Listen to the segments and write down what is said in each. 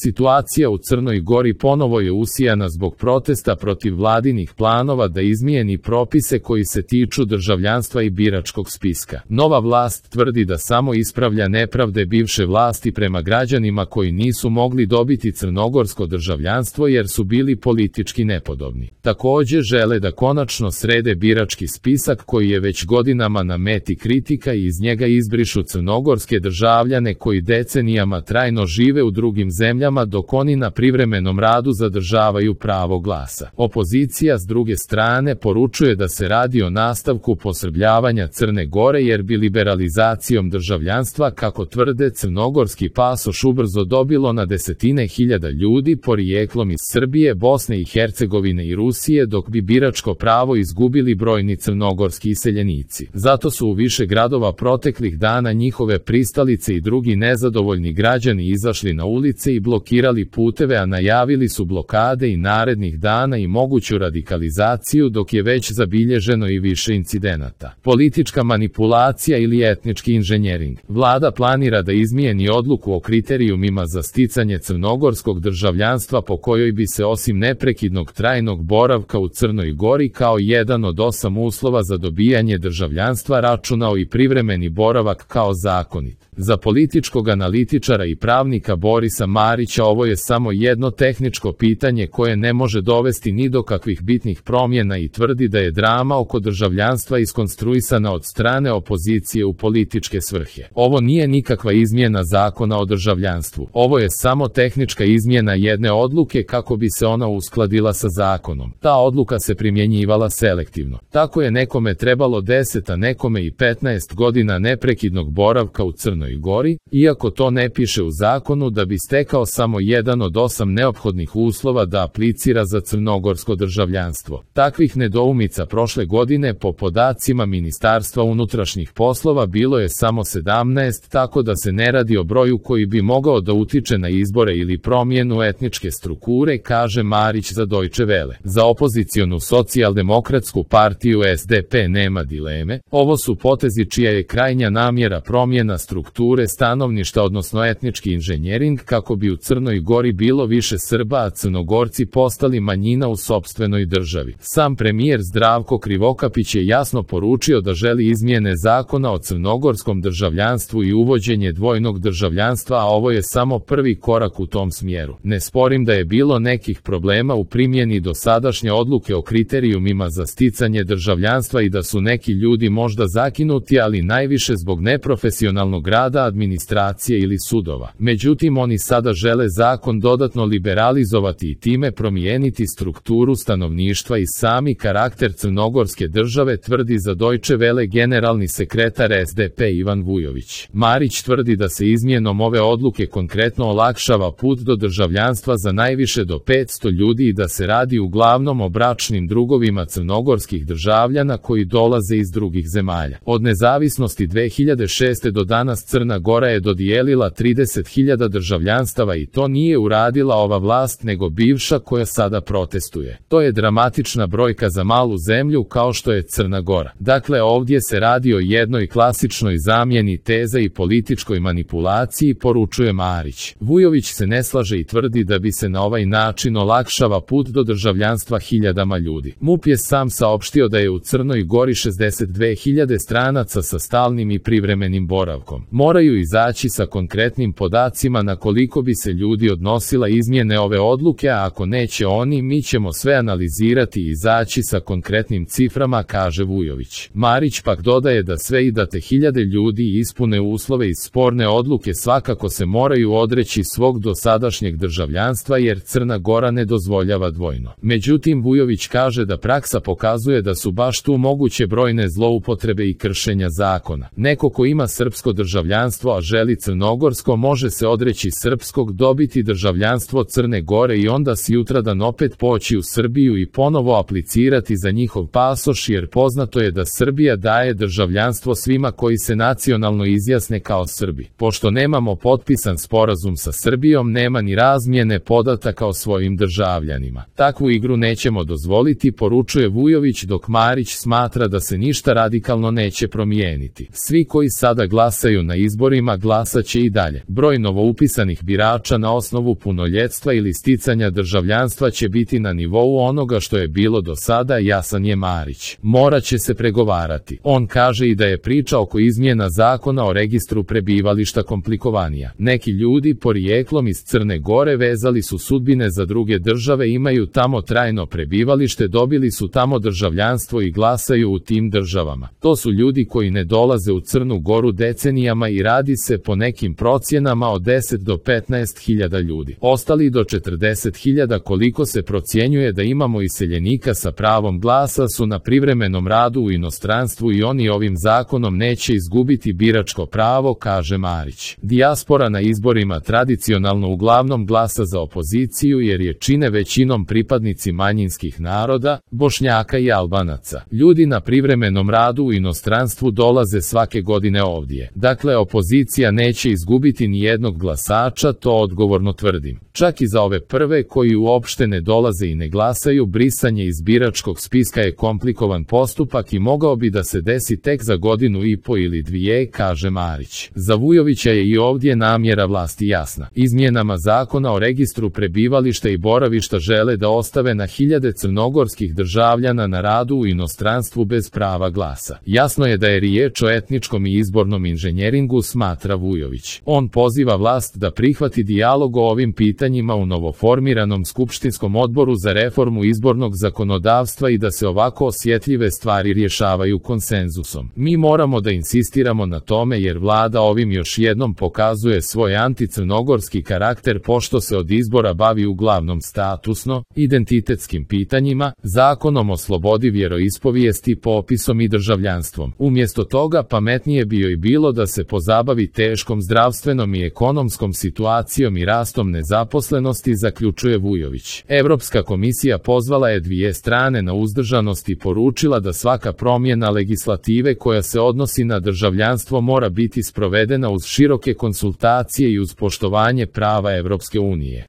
Situacija u Crnoj Gori ponovo je usijana zbog protesta protiv vladinih planova da izmijeni propise koji se tiču državljanstva i biračkog spiska. Nova vlast tvrdi da samo ispravlja nepravde bivše vlasti prema građanima koji nisu mogli dobiti crnogorsko državljanstvo jer su bili politički nepodobni. Također žele da konačno srede birački spisak koji je već godinama na meti kritika i iz njega izbrišu crnogorske državljane koji decenijama trajno žive u drugim zemljama dok oni na privremenom radu zadržavaju pravo glasa. Opozicija s druge strane poručuje da se radi o nastavku posrbljavanja Crne Gore jer bi liberalizacijom državljanstva, kako tvrde, crnogorski pasoš ubrzo dobilo na desetine hiljada ljudi porijeklom iz Srbije, Bosne i Hercegovine i Rusije, dok bi biračko pravo izgubili brojni crnogorski iseljenici. Zato su u više gradova proteklih dana njihove pristalice i drugi nezadovoljni građani izašli na ulice i blokirali puteve, a najavili su blokade i narednih dana i moguću radikalizaciju, dok je već zabilježeno i više incidenata. Politička manipulacija ili etnički inženjering. Vlada planira da izmijeni odluku o kriterijumima za sticanje crnogorskog državljanstva po kojoj bi se osim neprekidnog trajnog boravka u Crnoj Gori kao jedan od 8 uslova za dobijanje državljanstva računao i privremeni boravak kao zakonit. Za političkog analitičara i pravnika Borisa Marića ovo je samo jedno tehničko pitanje koje ne može dovesti ni do kakvih bitnih promjena i tvrdi da je drama oko državljanstva iskonstruisana od strane opozicije u političke svrhe. Ovo nije nikakva izmjena zakona o državljanstvu. Ovo je samo tehnička izmjena jedne odluke kako bi se ona uskladila sa zakonom. Ta odluka se primjenjivala selektivno. Tako je nekome trebalo 10, a nekome i 15 godina neprekidnog boravka u Crnoj Gori, iako to ne piše u zakonu, da bi stekao samo jedan od 8 neophodnih uslova da aplicira za crnogorsko državljanstvo. Takvih nedoumica prošle godine po podacima Ministarstva unutrašnjih poslova bilo je samo 17, tako da se ne radi o broju koji bi mogao da utiče na izbore ili promjenu etničke strukture, kaže Marić za Deutsche Welle. Za opozicionu socijaldemokratsku partiju SDP nema dileme, ovo su potezi čija je krajnja namjera promjena strukture stanovništva, odnosno etnički inženjering, kako bi u Crnoj Gori bilo više Srba, a Crnogorci postali manjina u sopstvenoj državi. Sam premijer Zdravko Krivokapić je jasno poručio da želi izmjene zakona o crnogorskom državljanstvu i uvođenje dvojnog državljanstva, a ovo je samo prvi korak u tom smjeru. Ne sporim da je bilo nekih problema u primjeni dosadašnje odluke o kriterijumima za sticanje državljanstva i da su neki ljudi možda zakinuti, ali najviše zbog neprofesionalnog rada administracije ili sudova. Međutim, oni sada žele zakon dodatno liberalizovati i time promijeniti strukturu stanovništva i sami karakter crnogorske države, tvrdi za Deutsche Welle generalni sekretar SDP Ivan Vujović. Marić tvrdi da se izmjenom ove odluke konkretno olakšava put do državljanstva za najviše do 500 ljudi i da se radi uglavnom o bračnim drugovima crnogorskih državljana koji dolaze iz drugih zemalja. Od nezavisnosti 2006. do danas Crna Gora je dodijelila 30.000 državljanstava i to nije uradila ova vlast nego bivša koja sada protestuje. To je dramatična brojka za malu zemlju kao što je Crna Gora. Dakle, ovdje se radi o jednoj klasičnoj zamjeni teza i političkoj manipulaciji, poručuje Marić. Vujović se ne slaže i tvrdi da bi se na ovaj način olakšava put do državljanstva hiljadama ljudi. MUP je sam saopštio da je u Crnoj Gori 62.000 stranaca sa stalnim i privremenim boravkom. Moraju izaći sa konkretnim podacima na koliko bi se ljudi odnosila izmjene ove odluke, a ako neće oni, mi ćemo sve analizirati i izaći sa konkretnim ciframa, kaže Vujović. Marić pak dodaje da sve i da te hiljade ljudi ispune uslove iz sporne odluke svakako se moraju odreći svog dosadašnjeg državljanstva jer Crna Gora ne dozvoljava dvojno. Međutim, Vujović kaže da praksa pokazuje da su baš tu moguće brojne zloupotrebe i kršenja zakona. Neko ko ima srpsko državljanstvo a želi crnogorsko može se odreći srpskog, dobiti državljanstvo Crne Gore i onda sutradan opet poći u Srbiju i ponovo aplicirati za njihov pasoš, jer poznato je da Srbija daje državljanstvo svima koji se nacionalno izjasne kao Srbi. Pošto nemamo potpisan sporazum sa Srbijom, nema ni razmjene podataka o svojim državljanima. Takvu igru nećemo dozvoliti, poručuje Vujović, dok Marić smatra da se ništa radikalno neće promijeniti. Svi koji sada glasaju na izborima glasat će i dalje. Broj novoupisanih birača glasača na osnovu punoljetstva ili sticanja državljanstva će biti na nivou onoga što je bilo do sada, jasan je Marić. Moraće se pregovarati. On kaže i da je priča oko izmjena zakona o registru prebivališta komplikovanija. Neki ljudi porijeklom iz Crne Gore vezali su sudbine za druge države, imaju tamo trajno prebivalište, dobili su tamo državljanstvo i glasaju u tim državama. To su ljudi koji ne dolaze u Crnu Goru decenijama i radi se po nekim procjenama od 10 do 15.000 ljudi. Ostali do 40.000 koliko se procjenjuje da imamo iseljenika sa pravom glasa su na privremenom radu u inostranstvu i oni ovim zakonom neće izgubiti biračko pravo, kaže Marić. Dijaspora na izborima tradicionalno uglavnom glasa za opoziciju jer je čine većinom pripadnici manjinskih naroda, Bošnjaka i Albanaca. Ljudi na privremenom radu u inostranstvu dolaze svake godine ovdje. Dakle, opozicija neće izgubiti ni jednog glasača, to odgovorno tvrdim. Čak i za ove prve koji uopšte ne dolaze i ne glasaju, brisanje iz biračkog spiska je komplikovan postupak i mogao bi da se desi tek za 1,5 ili 2, kaže Marić. Za Vujovića je i ovdje namjera vlasti jasna. Izmjenama zakona o registru prebivališta i boravišta žele da ostave na hiljade crnogorskih državljana na radu u inostranstvu bez prava glasa. Jasno je da je riječ o etničkom i izbornom inženjeringu, smatra Vujović. On poziva vlast da prihvati dijalog o ovim pitanjima u novoformiranom skupštinskom odboru za reformu izbornog zakonodavstva i da se ovako osjetljive stvari rješavaju konsenzusom. Mi moramo da insistiramo na tome jer vlada ovim još jednom pokazuje svoj anticrnogorski karakter pošto se od izbora bavi uglavnom statusno, identitetskim pitanjima, zakonom o slobodi vjeroispovijesti, popisom i državljanstvom. Umjesto toga pametnije bio i bilo da se pozabavi teškom zdravstvenom i ekonomskom situacijom i rastom nezaposlenosti, zaključuje Vujović. Evropska komisija pozvala je dvije strane na uzdržanost i poručila da svaka promjena legislative koja se odnosi na državljanstvo mora biti sprovedena uz široke konsultacije i uz poštovanje prava Evropske unije.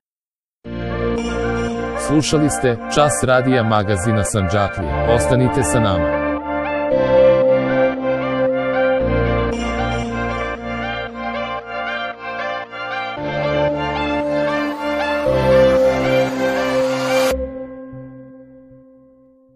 Slušali ste Čas radija magazina Sandžaklija. Ostanite sa nama.